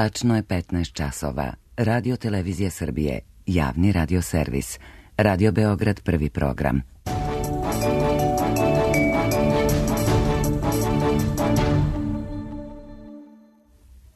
Tačno je 15 časova. Radio Televizija Srbije, javni radio servis. Radio Beograd, prvi program.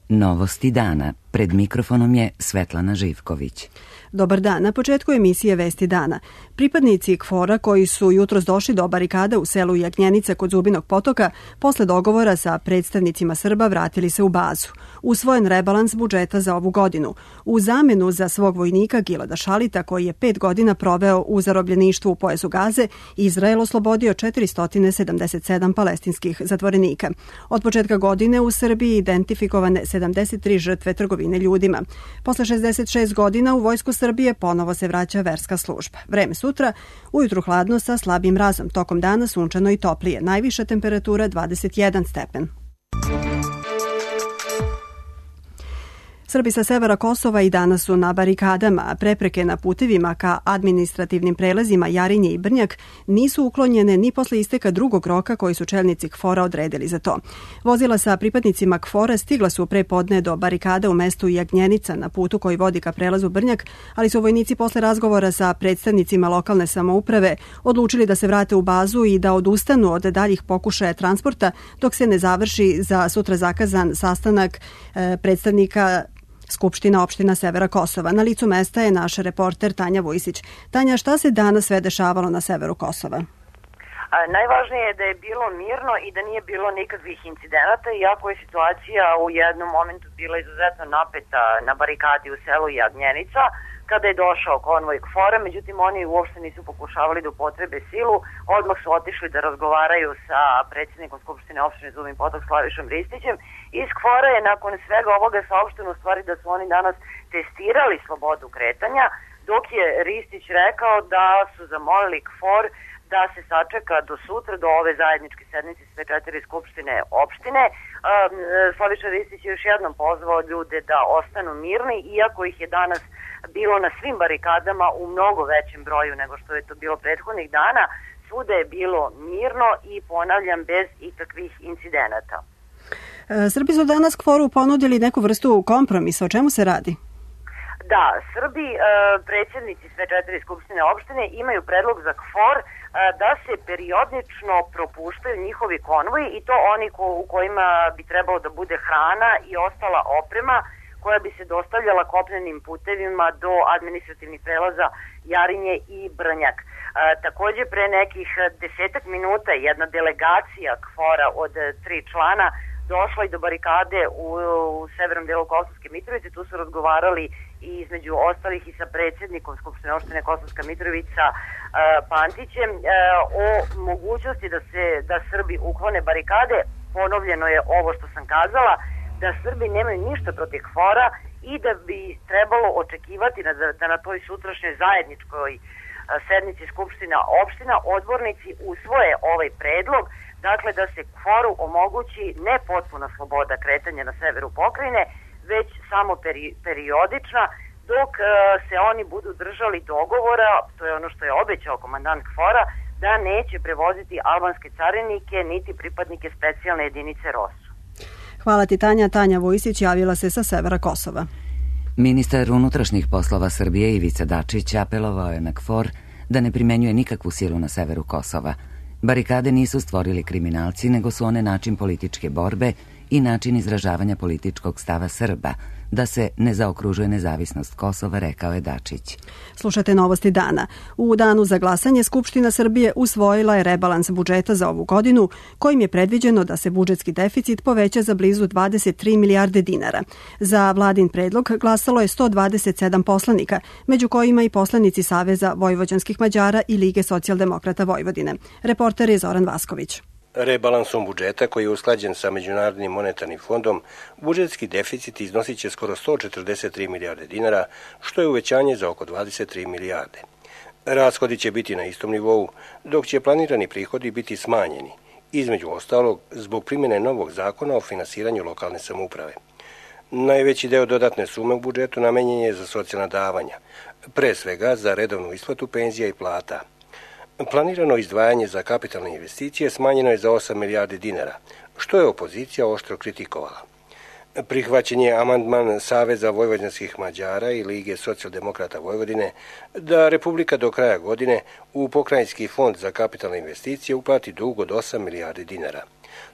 Novosti dana. Pred mikrofonom je Svetlana Živković. Dobar dan. Na početku emisije Vesti dana. Pripadnici KFOR-a koji su jutros došli do barikada u selu Jagnjenica kod Zubinog potoka, posle dogovora sa predstavnicima Srba vratili se u bazu. Usvojen rebalans budžeta za ovu godinu. U zamenu za svog vojnika Gilada Šalita, koji je 5 godina proveo u zarobljeništvu u pojasu Gaze, Izrael oslobodio 477 palestinskih zatvorenika. Od početka godine u Srbiji identifikovane 73 žrtve trgovine ljudima. Posle 66 godina u Vojsku Srbije ponovo se vraća verska služba. Vreme sutra, ujutru hladno sa slabim mrazom, tokom dana sunčano i toplije, najviša temperatura 21 stepen. Srbi sa severa Kosova i danas su na barikadama, a prepreke na putevima ka administrativnim prelazima Jarinje i Brnjak nisu uklonjene ni posle isteka drugog roka koji su čelnici KFOR-a odredili za to. Vozila sa pripadnicima KFOR-a stigla su pre podne do barikada u mestu Jagnjenica na putu koji vodi ka prelazu Brnjak, ali su vojnici posle razgovora sa predstavnicima lokalne samouprave odlučili da se vrate u bazu i da odustanu od daljih pokušaja transporta dok se ne završi za sutra zakazan sastanak predstavnika Skupština opština Severa Kosova. Na licu mesta je naš reporter Tanja Vujsić. Tanja, šta se danas sve dešavalo na severu Kosova? Najvažnije je da je bilo mirno i da nije bilo nikakvih incidenata, iako je situacija u jednom momentu bila izuzetno napeta na barikadi u selu Jagnjenica, kada je došao konvoj KFOR-a, međutim oni uopšte nisu pokušavali da upotrebe silu, odmah su otišli da razgovaraju sa predsjednikom Skupštine opštine Zubin Potok Slavišom Ristićem. Iz KFOR-a je nakon svega ovoga saopšteno u stvari da su oni danas testirali slobodu kretanja, dok je Ristić rekao da su zamolili KFOR da se sačeka do sutra, do ove zajedničke sednice sve 4 skupštine opštine. Slaviša Ristić je još jednom pozvao ljude da ostanu mirni, iako ih je danas bilo na svim barikadama u mnogo većem broju nego što je to bilo prethodnih dana. Svuda je bilo mirno i, ponavljam, bez ikakvih incidenata. Srbi su danas KFOR-u ponudili neku vrstu kompromisa. O čemu se radi? Da, Srbi, predsjednici sve 4 skupštine opštine, imaju predlog za KFOR da se periodično propuštaju njihovi konvoji i to oni u kojima bi trebalo da bude hrana i ostala oprema koja bi se dostavljala kopnenim putevima do administrativnih prelaza Jarinje i Brnjak. Takođe, pre nekih 10 minuta jedna delegacija KFOR-a od 3 člana došla i do barikade u severnom delu Kosovske Mitrovice. Tu su razgovarali i između ostalih i sa predsjednikom Skupštine opštine Kosovska Mitrovica Pantićem o mogućnosti da Srbi uklone barikade. Ponovljeno je ovo što sam kazala, da Srbi nemaju ništa protiv KFOR-a i da bi trebalo očekivati da na toj sutrašnjoj zajedničkoj sednici Skupština opština odbornici usvoje ovaj predlog, dakle da se KFOR-u omogući ne potpuna sloboda kretanja na severu pokrajine, već samo periodična, dok se oni budu držali dogovora, to je ono što je obećao komandant KFOR-a, da neće prevoziti albanske carinike niti pripadnike specijalne jedinice ROSU. Hvala ti, Tanja. Tanja Vujsić javila se sa severa Kosova. Ministar unutrašnjih poslova Srbije Ivica Dačić apelovao je na KFOR da ne primenjuje nikakvu silu na severu Kosova. Barikade nisu stvorili kriminalci, nego su one način političke borbe i način izražavanja političkog stava Srba, da se ne zaokružuje nezavisnost Kosova, rekao je Dačić. Slušate Novosti dana. U danu za glasanje Skupština Srbije usvojila je rebalans budžeta za ovu godinu, kojim je predviđeno da se budžetski deficit poveća za blizu 23 milijarde dinara. Za vladin predlog glasalo je 127 poslanika, među kojima i poslanici Saveza vojvođanskih Mađara i Lige socijaldemokrata Vojvodine. Reporter je Zoran Vasković. Rebalansom budžeta, koji je usklađen sa Međunarodnim monetarnim fondom, budžetski deficit iznosit će skoro 143 milijarde dinara, što je uvećanje za oko 23 milijarde. Rashodi će biti na istom nivou, dok će planirani prihodi biti smanjeni, između ostalog zbog primjene novog zakona o finansiranju lokalne samouprave. Najveći deo dodatne sume u budžetu namenjen je za socijalna davanja, pre svega za redovnu isplatu penzija i plata. Planirano izdvajanje za kapitalne investicije smanjeno je za 8 milijardi dinara, što je opozicija oštro kritikovala. Prihvaćen je amandman Saveza vojvođanskih Mađara i Lige socijaldemokrata Vojvodine da Republika do kraja godine u Pokrajinski fond za kapitalne investicije uplati dug od 8 milijardi dinara.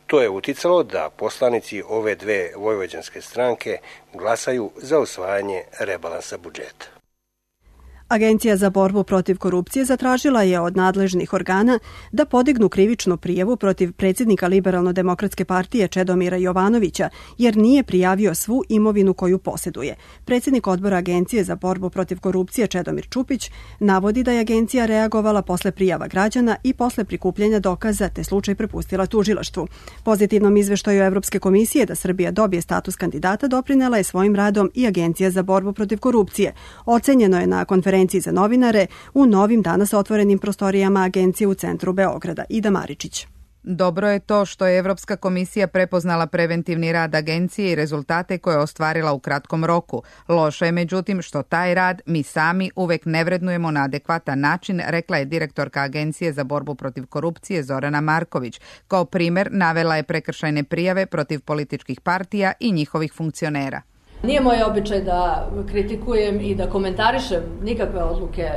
To je uticalo da poslanici ove dve vojvođanske stranke glasaju za usvajanje rebalansa budžeta. Agencija za borbu protiv korupcije zatražila je od nadležnih organa da podignu krivičnu prijavu protiv predsjednika Liberalno-demokratske partije Čedomira Jovanovića, jer nije prijavio svu imovinu koju posjeduje. Predsjednik odbora Agencije za borbu protiv korupcije Čedomir Čupić navodi da je agencija reagovala posle prijava građana i posle prikupljanja dokaza, te slučaj prepustila tužilaštvu. Pozitivnom izveštaju Evropske komisije da Srbija dobije status kandidata doprinela je svojim radom i Agencija za borbu protiv korupcije. Ocenjeno je na konferenciji za novinare u novim danas otvorenim prostorijama agencije u centru Beograda. Ida Maričić. Dobro je to što je Evropska komisija prepoznala preventivni rad agencije i rezultate koje je ostvarila u kratkom roku. Loše je međutim što taj rad mi sami uvek ne vrednujemo na adekvatan način, rekla je direktorka Agencije za borbu protiv korupcije Zorana Marković. Kao primer navela je prekršajne prijave protiv političkih partija i njihovih funkcionera. Nije moj običaj da kritikujem i da komentarišem nikakve odluke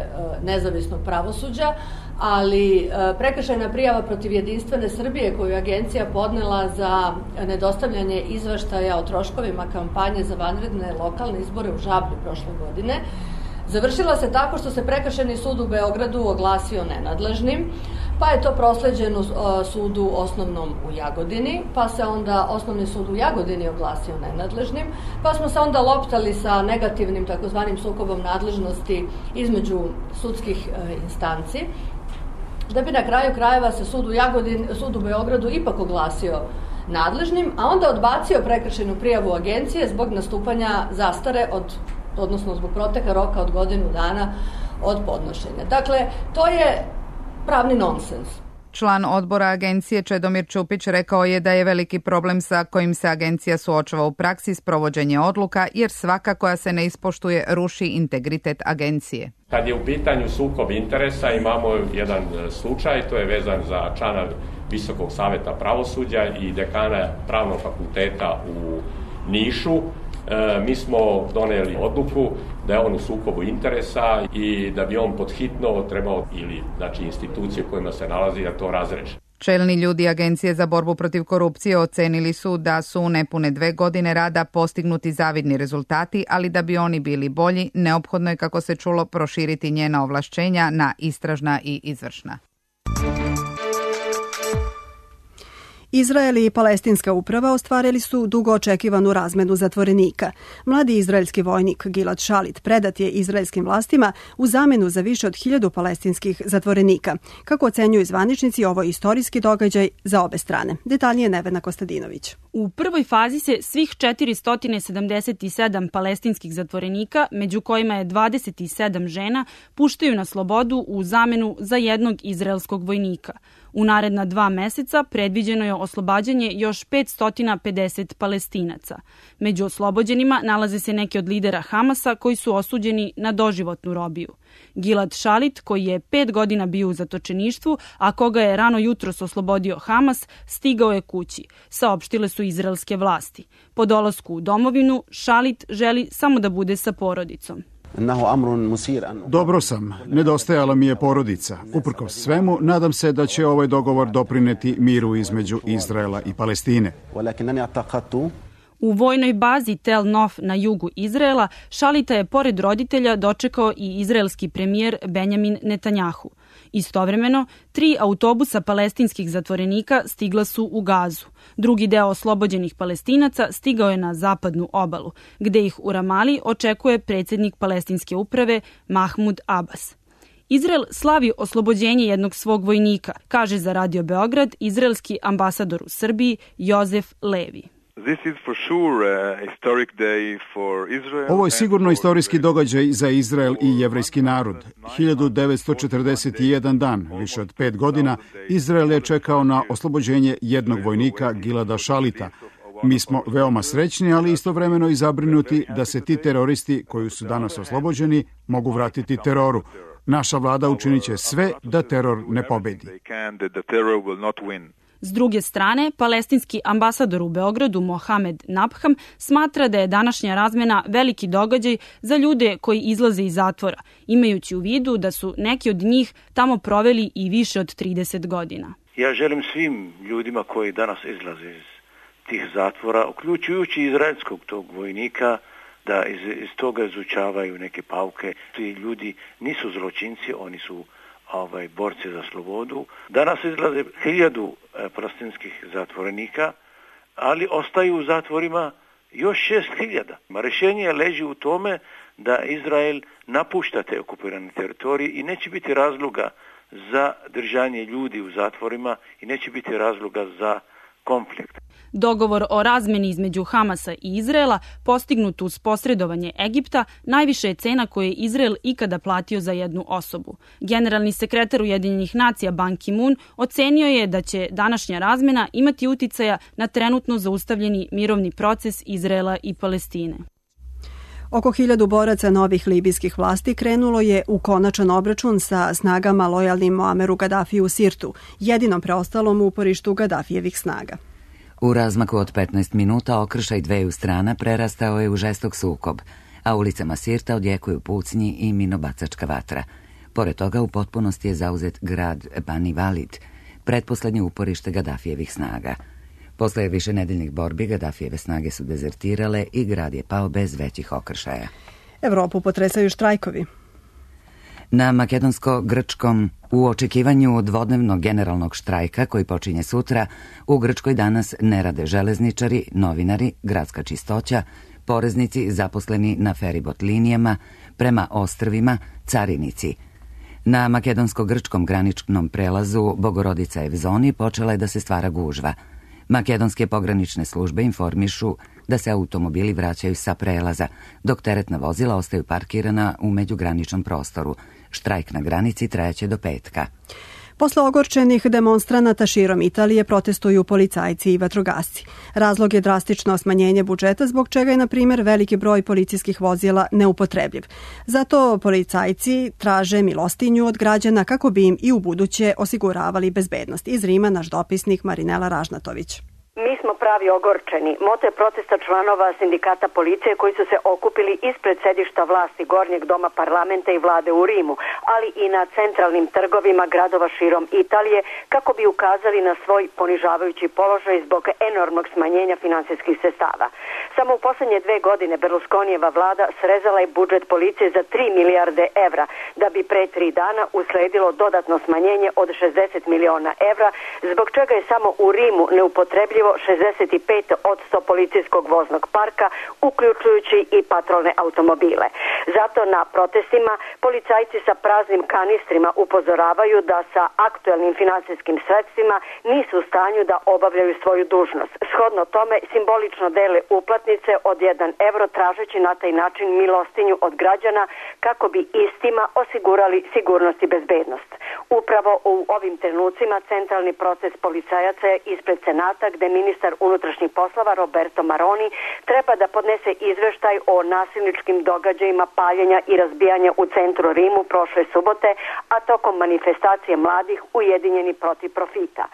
nezavisnog pravosuđa, ali prekršajna prijava protiv Jedinstvene Srbije koju je agencija podnela za nedostavljanje izveštaja o troškovima kampanje za vanredne lokalne izbore u Žablju prošle godine završila se tako što se Prekršajni sud u Beogradu oglasio nenadležnim, pa je to prosleđeno sudu osnovnom u Jagodini, pa se onda Osnovni sud u Jagodini oglasio nenadležnim, pa smo se onda loptali sa negativnim takozvanim sukobom nadležnosti između sudskih instanci, da bi na kraju krajeva se sud u Beogradu ipak oglasio nadležnim, a onda odbacio prekršajnu prijavu agencije zbog nastupanja zastare odnosno zbog proteka roka od godinu dana od podnošenja. Dakle, to je pravni nonsens. Član odbora agencije Čedomir Čupić rekao je da je veliki problem sa kojim se agencija suočava u praksi sprovođenje odluka, jer svaka koja se ne ispoštuje ruši integritet agencije. Kad je u pitanju sukob interesa, imamo jedan slučaj, to je vezan za člana Visokog saveta pravosuđa i dekana Pravnog fakulteta u Nišu. Mi smo doneli odluku da je on u sukobu interesa i da bi on podhitno trebao institucije u kojima se nalazi da to razreši. Čelni ljudi Agencije za borbu protiv korupcije ocenili su da su u nepune 2 godine rada postignuti zavidni rezultati, ali da bi oni bili bolji, neophodno je, kako se čulo, proširiti njena ovlašćenja na istražna i izvršna. Izrael i palestinska uprava ostvarili su dugo očekivanu razmenu zatvorenika. Mladi izraelski vojnik Gilad Shalit predat je izraelskim vlastima u zamenu za više od 1000 palestinskih zatvorenika. Kako ocenjuju zvaničnici, ovo je istorijski događaj za obe strane. Detaljnije Nevena Kostadinović. U prvoj fazi se svih 477 palestinskih zatvorenika, među kojima je 27 žena, puštaju na slobodu u zamenu za jednog izraelskog vojnika. U naredna 2 meseca predviđeno je oslobađanje još 550 Palestinaca. Među oslobođenima nalaze se neki od lidera Hamasa koji su osuđeni na doživotnu robiju. Gilad Shalit, koji je 5 godina bio u zatočeništvu, a koga je rano jutros oslobodio Hamas, stigao je kući, saopštile su izraelske vlasti. Po dolasku u domovinu, Shalit želi samo da bude sa porodicom. Dobro sam, nedostajala mi je porodica. Uprkos svemu, nadam se da će ovaj dogovor doprineti miru između Izraela i Palestine. U vojnoj bazi Tel Nof na jugu Izraela, Shalita je pored roditelja dočekao i izraelski premijer Benjamin Netanjahu. Istovremeno, 3 autobusa palestinskih zatvorenika stigla su u Gazu. Drugi deo oslobođenih Palestinaca stigao je na zapadnu obalu, gde ih u Ramali očekuje predsjednik palestinske uprave Mahmud Abbas. Izrael slavi oslobođenje jednog svog vojnika, kaže za Radio Beograd izraelski ambasador u Srbiji Jozef Levi. Ovo je sigurno istorijski događaj za Izrael i jevrejski narod. 1941 dan, više od 5 godina, Izrael je čekao na oslobođenje jednog vojnika, Gilada Shalita. Mi smo veoma srećni, ali istovremeno i zabrinuti da se ti teroristi koji su danas oslobođeni mogu vratiti teroru. Naša vlada učinit će sve da teror ne pobedi. S druge strane, palestinski ambasador u Beogradu Mohamed Nabham smatra da je današnja razmena veliki događaj za ljude koji izlaze iz zatvora, imajući u vidu da su neki od njih tamo proveli i više od 30 godina. Ja želim svim ljudima koji danas izlaze iz tih zatvora, uključujući izraelskog tog vojnika, da iz toga izučavaju neke pauke. Ti ljudi nisu zločinci, oni su borci za slobodu. Danas izlaze 1000 palestinskih zatvorenika, ali ostaju u zatvorima još 6000. Rješenje leži u tome da Izrael napušta te okupirane teritorije i neće biti razloga za držanje ljudi u zatvorima i neće biti razloga za konflikt. Dogovor o razmeni između Hamasa i Izraela, postignut uz posredovanje Egipta, najviše je cena koju je Izrael ikada platio za jednu osobu. Generalni sekretar Ujedinjenih nacija Ban Ki-moon ocenio je da će današnja razmena imati uticaja na trenutno zaustavljeni mirovni proces Izraela i Palestine. Oko 1000 boraca novih libijskih vlasti krenulo je u konačan obračun sa snagama lojalnim Muameru Gadafiju u Sirtu, jedinom preostalom uporištu Gadafijevih snaga. U razmaku od 15 minuta okršaj dveju strana prerastao je u žestok sukob, a ulicama Sirta odjekuju pucnji i minobacačka vatra. Pored toga u potpunosti je zauzet grad Bani Valid, pretposlednje uporište Gadafijevih snaga. Posle višenedeljnih borbi Gadafijeve snage su dezertirale i grad je pao bez većih okršaja. Evropu potresaju štrajkovi. Na makedonsko-grčkom u očekivanju dvodnevnog generalnog štrajka koji počinje sutra, u Grčkoj danas ne rade železničari, novinari, gradska čistoća, poreznici zaposleni na feribot linijama, prema ostrvima, carinici. Na makedonsko-grčkom graničnom prelazu Bogorodica Evzoni počela je da se stvara gužva. Makedonske pogranične službe informišu da se automobili vraćaju sa prelaza, dok teretna vozila ostaju parkirana u međugraničnom prostoru. Štrajk na granici trajaće do petka. Posle ogorčenih demonstranata širom Italije protestuju policajci i vatrogasci. Razlog je drastično smanjenje budžeta, zbog čega je, na primjer, veliki broj policijskih vozila neupotrebljiv. Zato policajci traže milostinju od građana kako bi im i u buduće osiguravali bezbednost. Iz Rima naš dopisnik Marinela Ražnatović. Mi smo pravi ogorčeni. Moto je protesta članova sindikata policije koji su se okupili ispred sedišta vlasti Gornjeg doma parlamenta i vlade u Rimu, ali i na centralnim trgovima gradova širom Italije kako bi ukazali na svoj ponižavajući položaj zbog enormnog smanjenja finansijskih sredstava. Samo u posljednje 2 godine Berlusconijeva vlada srezala je budžet policije za 3 milijarde evra, da bi pre 3 dana usledilo dodatno smanjenje od 60 miliona evra, zbog čega je samo u Rimu neupotrebljivo 65% policijskog voznog parka, uključujući i patrolne automobile. Zato na protestima policajci sa praznim kanistrima upozoravaju da sa aktuelnim finansijskim sredstvima nisu u stanju da obavljaju svoju dužnost. Shodno tome simbolično dele uplatnice od 1 evro tražeći na taj način milostinju od građana kako bi istima osigurali sigurnost i bezbednost. Upravo u ovim trenucima centralni proces policajaca je ispred Senata gde ministar unutrašnjih poslova Roberto Maroni treba da podnese izveštaj o nasilničkim događajima paljenja i razbijanja u centru Rimu prošle subote, a tokom manifestacije mladih ujedinjeni protiv profita.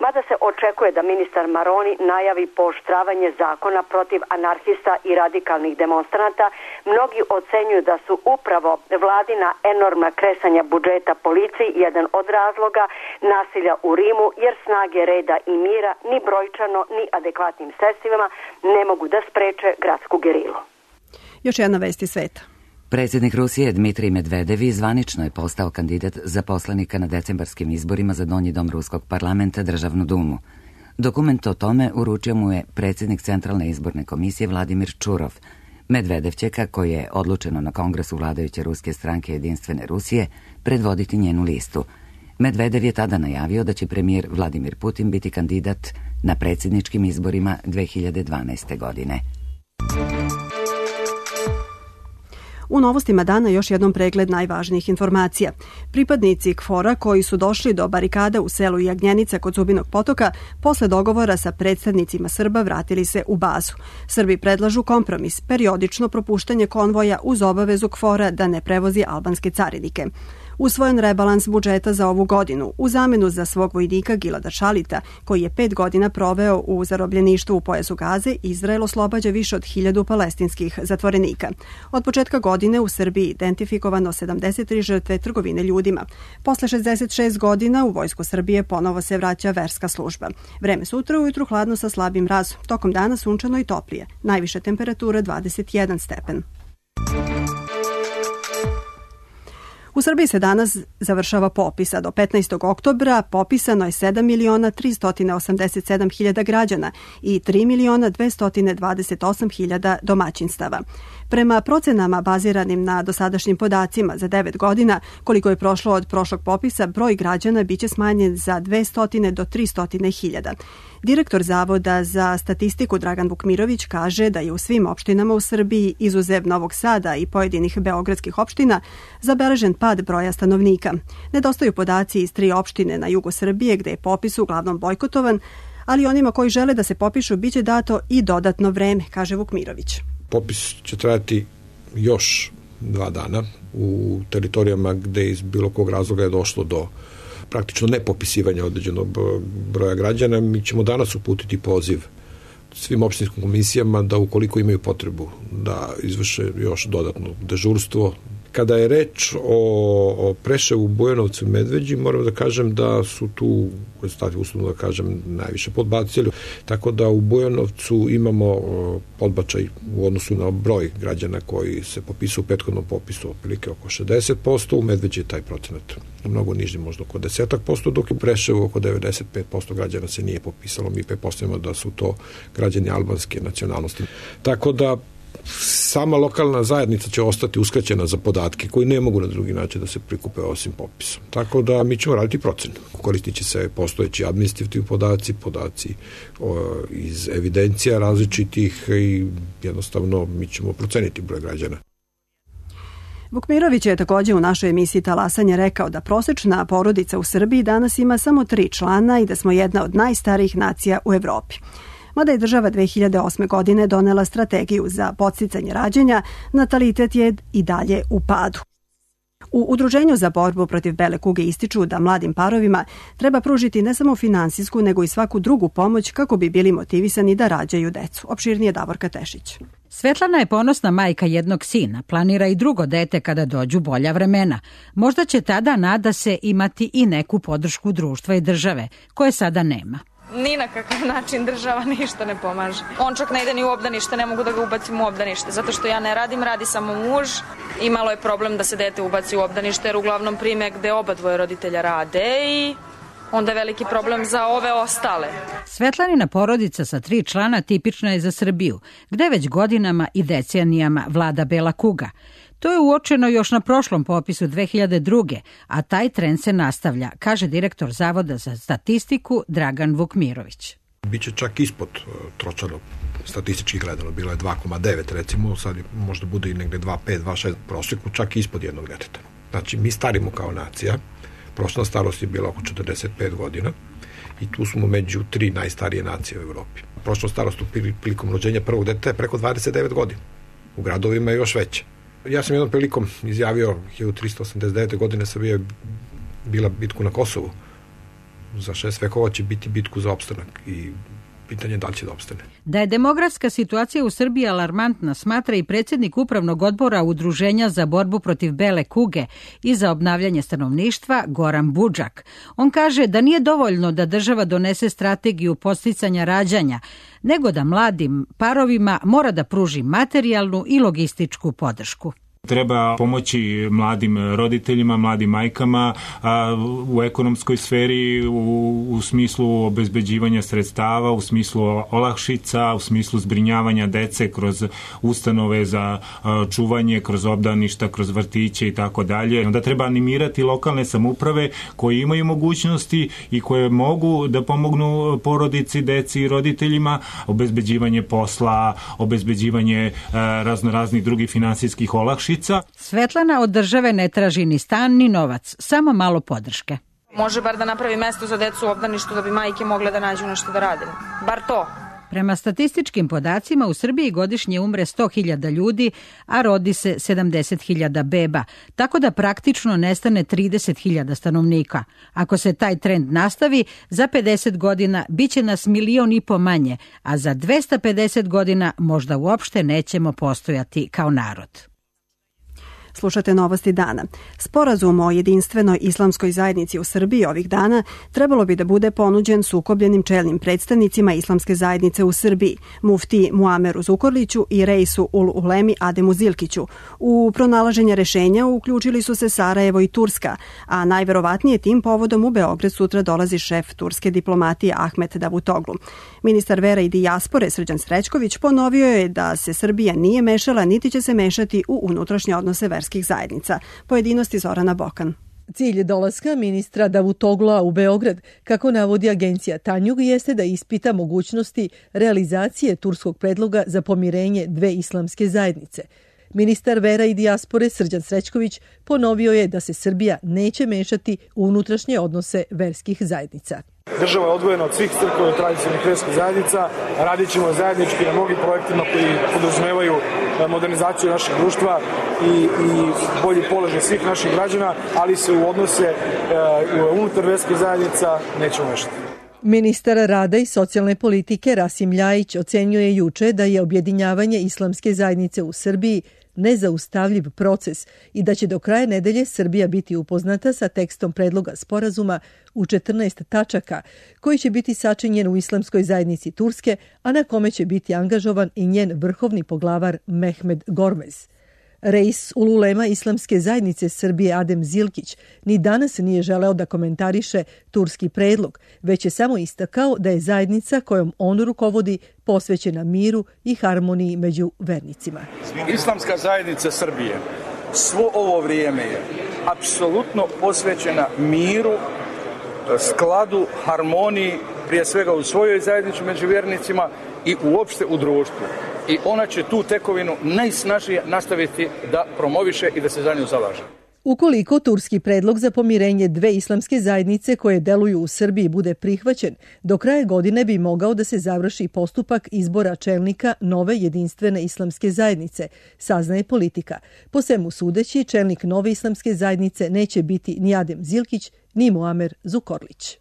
Mada se očekuje da ministar Maroni najavi pooštravanje zakona protiv anarhista i radikalnih demonstranata, mnogi ocenjuju da su upravo vladina enormna kresanja budžeta policiji jedan od razloga nasilja u Rimu, jer snage reda i mira ni brojčano ni adekvatnim sredstvima ne mogu da spreče gradsku gerilu. Još jedna vest iz sveta. Predsjednik Rusije Dmitrij Medvedev zvanično je postao kandidat za poslanika na decembarskim izborima za Donji dom Ruskog parlamenta, Državnu dumu. Dokument o tome uručio mu je predsjednik Centralne izborne komisije Vladimir Čurov. Medvedev će, kako je odlučeno na kongresu vladajuće ruske stranke Jedinstvene Rusije, predvoditi njenu listu. Medvedev je tada najavio da će premijer Vladimir Putin biti kandidat na predsjedničkim izborima 2012. godine. U novostima dana još jednom pregled najvažnijih informacija. Pripadnici KFOR-a koji su došli do barikada u selu Jagnjenica kod Zubinog potoka posle dogovora sa predstavnicima Srba vratili se u bazu. Srbi predlažu kompromis, periodično propuštanje konvoja uz obavezu KFOR-a da ne prevozi albanske carinike. Usvojen rebalans budžeta za ovu godinu u zamenu za svog vojnika Gilada Šalita, koji je 5 godina proveo u zarobljeništvu u pojasu Gaze, Izrael oslobađa više od 1000 palestinskih zatvorenika. Od početka godine u Srbiji identifikovano 73 žrtve trgovine ljudima. Posle 66 godina u Vojsku Srbije ponovo se vraća verska služba. Vreme sutra ujutru hladno sa slabim mrazom, tokom dana sunčano i toplije. Najviša temperatura 21 stepen. U Srbiji se danas završava popis, a do 15. oktobra popisano je 7.387.000 građana i 3.228.000 domaćinstava. Prema procenama baziranim na dosadašnjim podacima za 9 godina, koliko je prošlo od prošlog popisa, broj građana biće smanjen za 200 do 300.000. Direktor Zavoda za statistiku Dragan Vukmirović kaže da je u svim opštinama u Srbiji, izuzev Novog Sada i pojedinih beogradskih opština, zabeležen pad broja stanovnika. Nedostaju podaci iz 3 opštine na jugu Srbije gde je popis uglavnom bojkotovan, ali onima koji žele da se popišu biće dato i dodatno vreme, kaže Vukmirović. Popis će trajati još 2 dana u teritorijama gde iz bilo kog razloga je došlo do praktično nepopisivanja određenog broja građana. Mi ćemo danas uputiti poziv svim opštinskim komisijama da ukoliko imaju potrebu da izvrše još dodatno dežurstvo. Kada je reč o Preševu, Bujanovcu i Medveđi, moram da kažem da su tu rezultati, uslovno da kažem, najviše podbacili. Tako da u Bujanovcu imamo podbačaj u odnosu na broj građana koji se popisuju u prethodnom popisu otprilike oko 60%, u Medveđi je taj procenat mnogo niži, možda oko 10%, dok je u Preševu oko 95% građana se nije popisalo. Mi pretpostavljamo da su to građani albanske nacionalnosti. Tako da sama lokalna zajednica će ostati uskraćena za podatke koji ne mogu na drugi način da se prikupe osim popisom. Tako da mi ćemo raditi procenu. Koristit će se postojeći administrativni podaci iz evidencija različitih i jednostavno mi ćemo proceniti broj građana. Vukmirović je također u našoj emisiji Talasanje rekao da prosečna porodica u Srbiji danas ima samo 3 člana i da smo jedna od najstarijih nacija u Evropi. Mada je država 2008. godine donela strategiju za podsticanje rađanja, natalitet je i dalje u padu. U Udruženju za borbu protiv bele kuge ističu da mladim parovima treba pružiti ne samo finansijsku, nego i svaku drugu pomoć kako bi bili motivisani da rađaju decu. Opširnije Davorka Tešić. Svetlana je ponosna majka jednog sina, planira i drugo dete kada dođu bolja vremena. Možda će tada, nada se, imati i neku podršku društva i države, koje sada nema. Ni na kakav način država ništa ne pomaže. On čak ne ide ni u obdanište, ne mogu da ga ubacim u obdanište, zato što ja ne radim, radi samo muž. I malo je problem da se dete ubaci u obdanište, jer uglavnom prime gde oba dvoje roditelja rade i onda je veliki problem za ove ostale. Svetlanina porodica sa 3 člana tipična je za Srbiju, gde već godinama i decenijama vlada bela kuga. To je uočeno još na prošlom popisu 2002. a taj trend se nastavlja, kaže direktor Zavoda za statistiku Dragan Vukmirović. Biće čak ispod tročano statistički gledano, bilo je 2,9 recimo, sad možda bude i negde 2,5, 2,6 prosjeku, čak ispod jednog deteta. Znači mi starimo kao nacija, prosječna starost je bila oko 45 godina i tu smo među 3 najstarije nacije u Evropi. Prosječna starost prilikom rođenja prvog deteta je preko 29 godina, u gradovima je još veće. Ja sam jednom prilikom izjavio 1389. godine Srbija je bila bitku na Kosovu. Za 6 vekova će biti bitku za opstanak i pitanje da li će da opstane. Da je demografska situacija u Srbiji alarmantna, smatra i predsjednik Upravnog odbora Udruženja za borbu protiv bele kuge i za obnavljanje stanovništva Goran Budžak. On kaže da nije dovoljno da država donese strategiju podsticanja rađanja, nego da mladim parovima mora da pruži materijalnu i logističku podršku. Treba pomoći mladim roditeljima, mladim majkama u ekonomskoj sferi, u smislu obezbeđivanja sredstava, u smislu olakšica, u smislu zbrinjavanja dece kroz ustanove za čuvanje, kroz obdaništa, kroz vrtiće i tako dalje. Onda treba animirati lokalne samouprave koje imaju mogućnosti i koje mogu da pomognu porodici, deci i roditeljima, obezbeđivanje posla, obezbeđivanje raznoraznih drugih finansijskih olakšica. Svetlana od države ne traži ni stan ni novac, samo malo podrške. Može bar da napravi mesto za decu u obdaništu da bi majke mogle da nađu nešto da rade. Bar to. Prema statističkim podacima u Srbiji godišnje umre 100.000 ljudi, a rodi se 70.000 beba, tako da praktično nestane 30.000 stanovnika. Ako se taj trend nastavi, za 50 godina biće nas 1,5 miliona manje, a za 250 godina možda uopšte nećemo postojati kao narod. Slušate Novosti dana. Sporazum o jedinstvenoj islamskoj zajednici u Srbiji ovih dana trebalo bi da bude ponuđen sukobljenim čelnim predstavnicima islamske zajednice u Srbiji, mufti Muameru Zukorliću i reisu ul ulemi Ademu Zilkiću. U pronalaženje rešenja uključili su se Sarajevo i Turska, a najverovatnije tim povodom u Beograd sutra dolazi šef turske diplomatije Ahmet Davutoglu. Ministar vera i dijaspore Srđan Srećković ponovio je da se Srbija nije mešala niti će se mešati u unutrašnje odnose verskih zajednica. Pojedinosti Zorana Bokan. Cilj dolaska ministra Davutogla u Beograd, kako navodi agencija Tanjug, jeste da ispita mogućnosti realizacije turskog predloga za pomirenje dve islamske zajednice. Ministar vera i dijaspore Srđan Srećković ponovio je da se Srbija neće mešati u unutrašnje odnose verskih zajednica. Država je odvojena od svih crkava i tradicionalnih verskih zajednica. Radit ćemo zajednički na mnogim projektima koji podrazumevaju modernizaciju našeg društva i bolji položaj svih naših građana, ali se u odnose unutar verskih zajednica nećemo mešati. Ministar rada i socijalne politike Rasim Ljajić ocenio je juče da je objedinjavanje islamske zajednice u Srbiji nezaustavljiv proces i da će do kraja nedelje Srbija biti upoznata sa tekstom predloga sporazuma u 14 tačaka, koji će biti sačinjen u islamskoj zajednici Turske, a na kome će biti angažovan i njen vrhovni poglavar Mehmed Gormez. Reis ul ulema islamske zajednice Srbije Adem Zilkić ni danas nije želeo da komentariše turski predlog, već je samo istakao da je zajednica kojom on rukovodi posvećena miru i harmoniji među vernicima. Islamska zajednica Srbije svo ovo vrijeme je apsolutno posvećena miru, skladu, harmoniji, prije svega u svojoj zajednici među vjernicima i uopšte u društvu. I ona će tu tekovinu najsnažnije nastaviti da promoviše i da se za nju zalaže. Ukoliko turski predlog za pomirenje dve islamske zajednice koje deluju u Srbiji bude prihvaćen, do kraja godine bi mogao da se završi postupak izbora čelnika nove jedinstvene islamske zajednice, saznaje Politika. Po svemu sudeći, čelnik nove islamske zajednice neće biti ni Adem Zilkić, ni Muamer Zukorlić.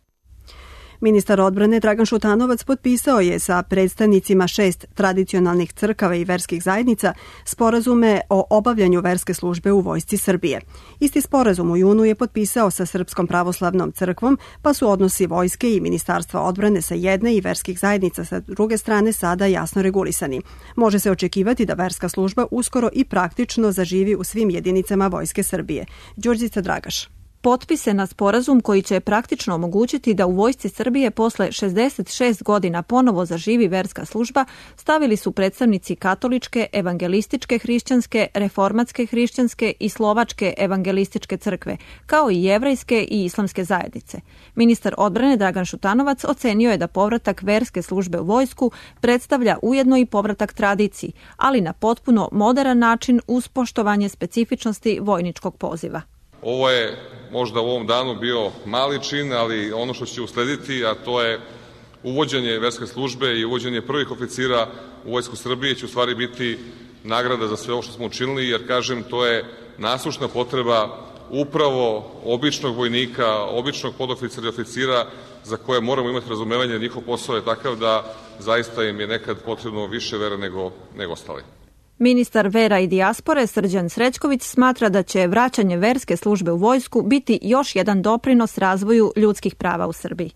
Ministar odbrane Dragan Šutanovac potpisao je sa predstavnicima 6 tradicionalnih crkava i verskih zajednica sporazume o obavljanju verske službe u Vojsci Srbije. Isti sporazum u junu je potpisao sa Srpskom pravoslavnom crkvom, pa su odnosi vojske i Ministarstva odbrane sa jedne i verskih zajednica sa druge strane sada jasno regulisani. Može se očekivati da verska služba uskoro i praktično zaživi u svim jedinicama Vojske Srbije. Đurđica Dragaš. Potpise na sporazum koji će praktično omogućiti da u Vojsci Srbije posle 66 godina ponovo zaživi verska služba stavili su predstavnici katoličke, evangelističke hrišćanske, reformatske hrišćanske i slovačke evangelističke crkve, kao i jevrejske i islamske zajednice. Ministar odbrane Dragan Šutanovac ocenio je da povratak verske službe u vojsku predstavlja ujedno i povratak tradiciji, ali na potpuno moderan način uz poštovanje specifičnosti vojničkog poziva. Ovo je možda u ovom danu bio mali čin, ali ono što će uslediti, a to je uvođenje verske službe i uvođenje prvih oficira u Vojsku Srbije će u stvari biti nagrada za sve ovo što smo učinili, jer kažem, to je nasušna potreba upravo običnog vojnika, običnog podoficira i oficira za koje moramo imati razumevanje, njihov posao je takav da zaista im je nekad potrebno više vere nego ostali. Ministar vera i dijaspore Srđan Srećković smatra da će vraćanje verske službe u vojsku biti još jedan doprinos razvoju ljudskih prava u Srbiji.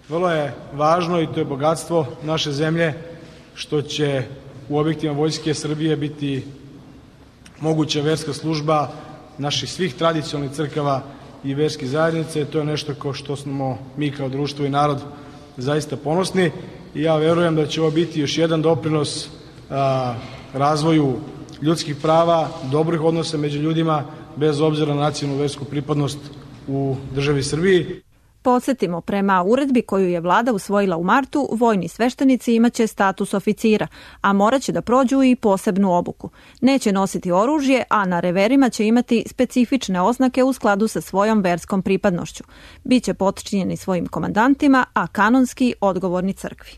Vrlo je važno i to je bogatstvo naše zemlje što će u objektima Vojske Srbije biti moguća verska služba naših svih tradicionalnih crkava i verskih zajednice. To je nešto ko što smo mi kao društvo i narod zaista ponosni i ja verujem da će ovo biti još jedan doprinos razvoju ljudskih prava, dobrih odnosa među ljudima, bez obzira na nacionalnu versku pripadnost u državi Srbiji. Podsjetimo, prema uredbi koju je vlada usvojila u martu, vojni sveštenici imaće status oficira, a morat će da prođu i posebnu obuku. Neće nositi oružje, a na reverima će imati specifične oznake u skladu sa svojom verskom pripadnošću. Biće potčinjeni svojim komandantima, a kanonski odgovorni crkvi.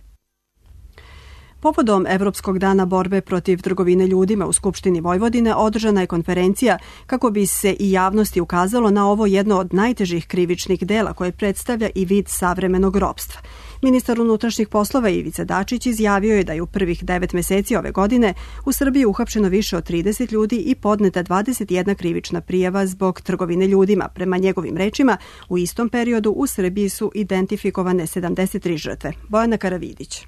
Povodom Evropskog dana borbe protiv trgovine ljudima u Skupštini Vojvodine održana je konferencija kako bi se i javnosti ukazalo na ovo jedno od najtežih krivičnih dela koje predstavlja i vid savremenog ropstva. Ministar unutrašnjih poslova Ivica Dačić izjavio je da je u prvih 9 meseci ove godine u Srbiji uhapšeno više od 30 ljudi i podneta 21 krivična prijava zbog trgovine ljudima. Prema njegovim rečima, u istom periodu u Srbiji su identifikovane 73 žrtve. Bojana Karavidić.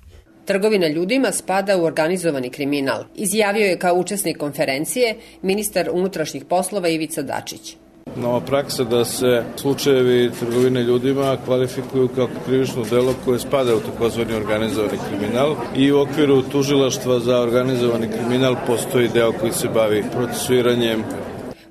Trgovina ljudima spada u organizovani kriminal, izjavio je kao učesnik konferencije ministar unutrašnjih poslova Ivica Dačić. Nova praksa da se slučajevi trgovine ljudima kvalifikuju kao krivično delo koje spada u takozvani organizovani kriminal i u okviru tužilaštva za organizovani kriminal postoji deo koji se bavi procesuiranjem.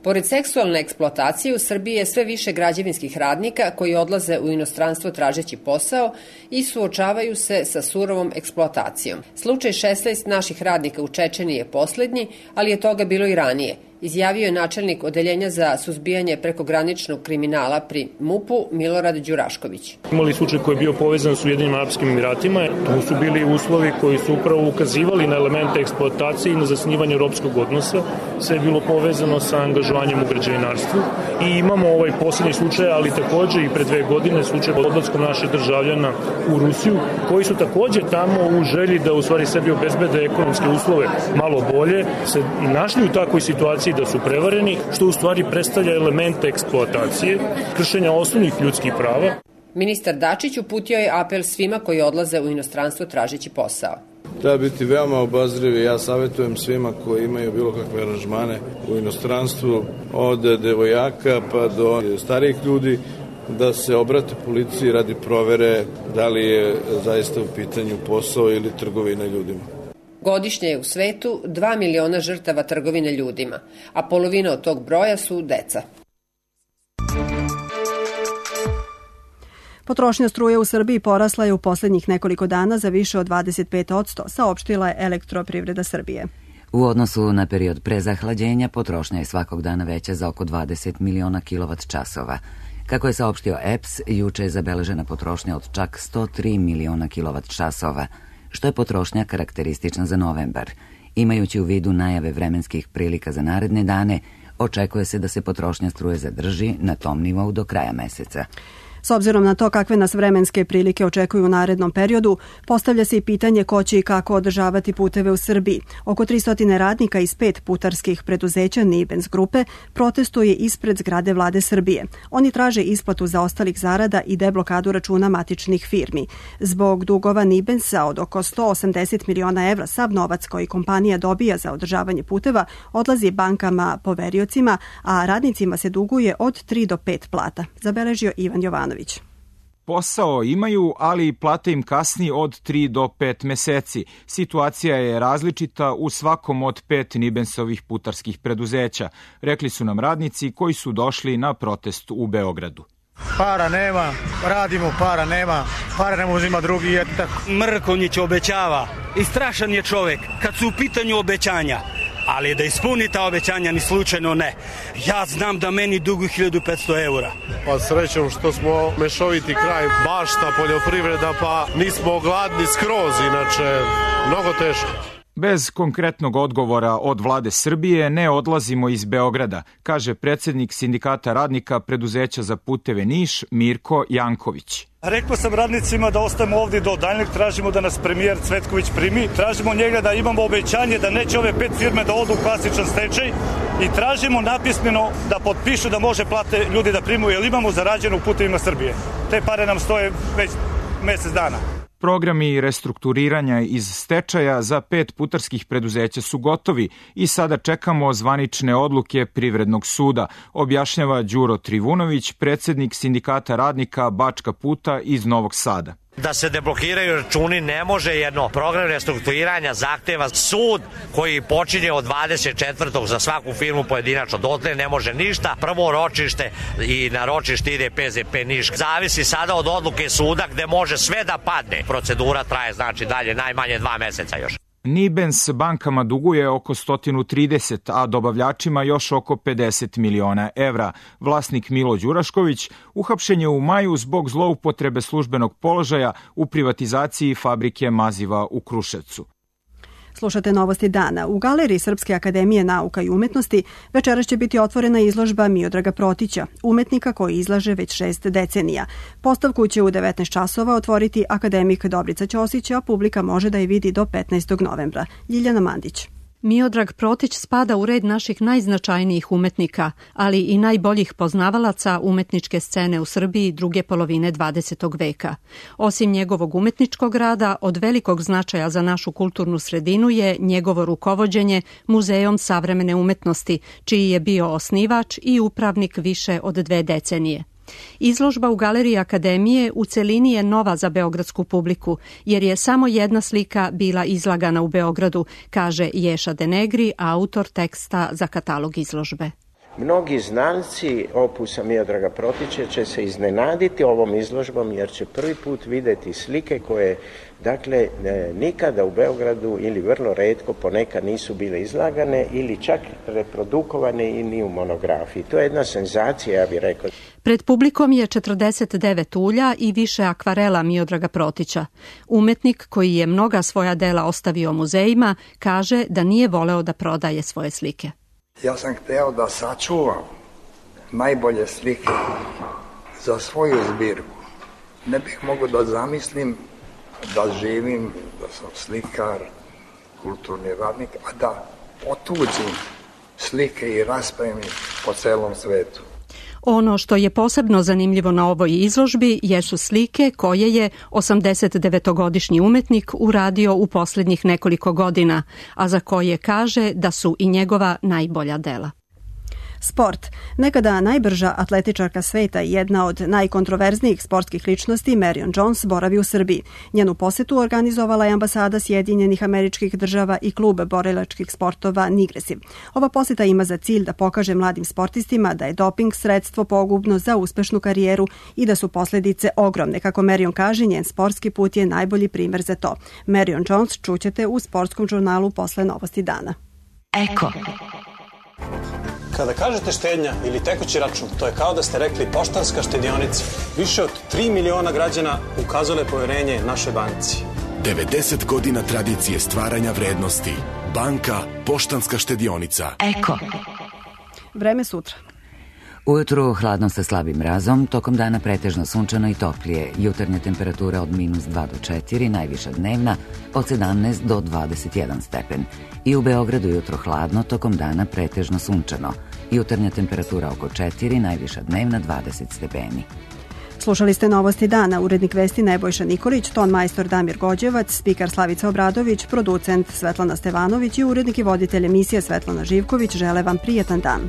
Pored seksualne eksploatacije u Srbiji je sve više građevinskih radnika koji odlaze u inostranstvo tražeći posao i suočavaju se sa surovom eksploatacijom. Slučaj 16 naših radnika u Čečeniji je poslednji, ali je toga bilo i ranije, izjavio je načelnik Odeljenja za suzbijanje prekograničnog kriminala pri MUP-u Milorad Đurašković. Imali slučaj koji je bio povezan s Ujedinjenim Arapskim Emiratima. Tu su bili uslovi koji su upravo ukazivali na elemente eksploatacije i na zasnivanje ropskog odnosa. Sve je bilo povezano sa angažovanjem u građevinarstvu. I imamo ovaj poslednji slučaj, ali takođe i pre 2 godine slučaj odlaskom naših državljana u Rusiju, koji su takođe tamo u želji da u stvari sebi obezbede ekonomske uslove malo bolje, se našli u takvoj situaciji da su prevareni, što u stvari predstavlja elemente eksploatacije, kršenja osnovnih ljudskih prava. Ministar Dačić uputio je apel svima koji odlaze u inostranstvo tražeći posao. Treba biti veoma obazrivi. Ja savjetujem svima koji imaju bilo kakve aranžmane u inostranstvu, od devojaka pa do starijih ljudi, da se obrate policiji radi provere da li je zaista u pitanju posao ili trgovina ljudima. Godišnje je u svetu 2 miliona žrtava trgovine ljudima, a polovina od tog broja su deca. Potrošnja struje u Srbiji porasla je u poslednjih nekoliko dana za više od 25%, saopštila je Elektroprivreda Srbije. U odnosu na period pre zahlađenja, potrošnja je svakog dana veća za oko 20 miliona kilovat-časova. Kako je saopštio EPS, juče je zabeležena potrošnja od čak 103 miliona kilovat-časova, što je potrošnja karakteristična za novembar. Imajući u vidu najave vremenskih prilika za naredne dane, očekuje se da se potrošnja struje zadrži na tom nivou do kraja meseca. S obzirom na to kakve nas vremenske prilike očekuju u narednom periodu, postavlja se i pitanje ko će i kako održavati puteve u Srbiji. Oko 300 radnika iz 5 putarskih preduzeća Nibens grupe protestuje ispred zgrade Vlade Srbije. Oni traže isplatu zaostalih zarada i deblokadu računa matičnih firmi. Zbog dugova Nibensa od oko 180 miliona evra, sav novac koji kompanija dobija za održavanje puteva odlazi bankama poveriocima, a radnicima se duguje od 3 do 5 plata, zabeležio Ivan Jovanović. Posao imaju, ali plate im kasni od 3 do 5 meseci. Situacija je različita u svakom od 5 Nibensovih putarskih preduzeća, rekli su nam radnici koji su došli na protest u Beogradu. Para nema, radimo, para nema, para ne uzima drugi. Mrkonjić obećava i strašan je čovek kad su u pitanju obećanja. Ali da ispuni ta obećanja ni slučajno ne. Ja znam da meni dugu 1500 eura. Pa srećom što smo mešoviti kraj, bašta, poljoprivreda, pa nismo gladni skroz, inače mnogo teško. Bez konkretnog odgovora od Vlade Srbije ne odlazimo iz Beograda, kaže predsjednik Sindikata radnika preduzeća za puteve Niš, Mirko Janković. Rekao sam radnicima da ostajemo ovdje do daljnjeg, tražimo da nas premijer Cvetković primi, tražimo njega da imamo obećanje da neće ove 5 firme da odu u klasičan stečaj i tražimo napismeno da potpišu da može plate ljudi da primu, jer imamo zarađeno u putevima Srbije. Te pare nam stoje već mesec dana. Programi restrukturiranja iz stečaja za 5 putarskih preduzeća su gotovi i sada čekamo zvanične odluke Privrednog suda, objašnjava Đuro Trivunović, predsjednik Sindikata radnika Bačka puta iz Novog Sada. Da se deblokiraju računi ne može jedno. Program restrukturiranja zahteva sud koji počinje od 24. za svaku firmu pojedinačno. Dotle ne može ništa. Prvo ročište i na ročište ide PZP Niš. Zavisi sada od odluke suda gde može sve da padne. Procedura traje znači dalje najmanje 2 meseca još. Nibens bankama duguje oko 130, a dobavljačima još oko 50 miliona evra. Vlasnik Milo Đurašković uhapšen je u maju zbog zloupotrebe službenog položaja u privatizaciji fabrike maziva u Kruševcu. Slušate Novosti dana. U Galeriji Srpske akademije nauka i umetnosti večeras će biti otvorena izložba Miodraga Protića, umetnika koji izlaže već 6 decenija. Postavku će u 19 časova otvoriti akademik Dobrica Ćosić, a publika može da je vidi do 15. novembra. Ljiljana Mandić. Miodrag Protić spada u red naših najznačajnijih umetnika, ali i najboljih poznavalaca umetničke scene u Srbiji druge polovine 20. veka. Osim njegovog umetničkog rada, od velikog značaja za našu kulturnu sredinu je njegovo rukovođenje Muzejom savremene umetnosti, čiji je bio osnivač i upravnik više od 2 decenije. Izložba u Galeriji Akademije u celini je nova za beogradsku publiku, jer je samo jedna slika bila izlagana u Beogradu, kaže Ješa Denegri, autor teksta za katalog izložbe. Mnogi znalci opusa Miodraga Protića će se iznenaditi ovom izložbom jer će prvi put videti slike koje, dakle, nikada u Beogradu ili vrlo retko ponekad nisu bile izlagane ili čak reprodukovane i ni u monografiji. To je jedna senzacija, ja bih rekao. Pred publikom je 49 ulja i više akvarela Miodraga Protića. Umetnik koji je mnoga svoja dela ostavio muzejima kaže da nije voleo da prodaje svoje slike. Ja sam hteo da sačuvam najbolje slike za svoju zbirku. Ne bih mogao da zamislim da živim, da sam slikar, kulturni radnik, a da otuđim slike i raspravim po celom svetu. Ono što je posebno zanimljivo na ovoj izložbi jesu slike koje je 89-godišnji umetnik uradio u posljednjih nekoliko godina, a za koje kaže da su i njegova najbolja dela. Sport. Nekada najbrža atletičarka sveta i jedna od najkontroverznijih sportskih ličnosti, Marion Jones, boravi u Srbiji. Njenu posetu organizovala je ambasada Sjedinjenih Američkih Država i klub borilačkih sportova Nigresiv. Ova poseta ima za cilj da pokaže mladim sportistima da je doping sredstvo pogubno za uspešnu karijeru i da su posljedice ogromne. Kako Marion kaže, njen sportski put je najbolji primer za to. Marion Jones čućete u sportskom žurnalu posle Novosti dana. Eko. Kada kažete štednja ili tekući račun, to je kao da ste rekli Poštanska štedionica. Više od 3 miliona građana ukazale poverenje našoj banci. 90 godina tradicije stvaranja vrednosti. Banka Poštanska štedionica. Eko. Vreme sutra. Ujutru hladno sa slabim mrazom, tokom dana pretežno sunčano i toplije. Jutarnja temperatura od -2 do 4, najviša dnevna od 17 do 21 stepen. I u Beogradu jutro hladno, tokom dana pretežno sunčano. Jutarnja temperatura oko 4, najviša dnevna 20 stepeni. Slušali ste Novosti dana, urednik vesti Nebojša Nikolić, ton majstor Damir Gođevac, spikar Slavica Obradović, producent Svetlana Stevanović i urednik i voditelj emisije Svetlana Živković žele vam prijetan dan.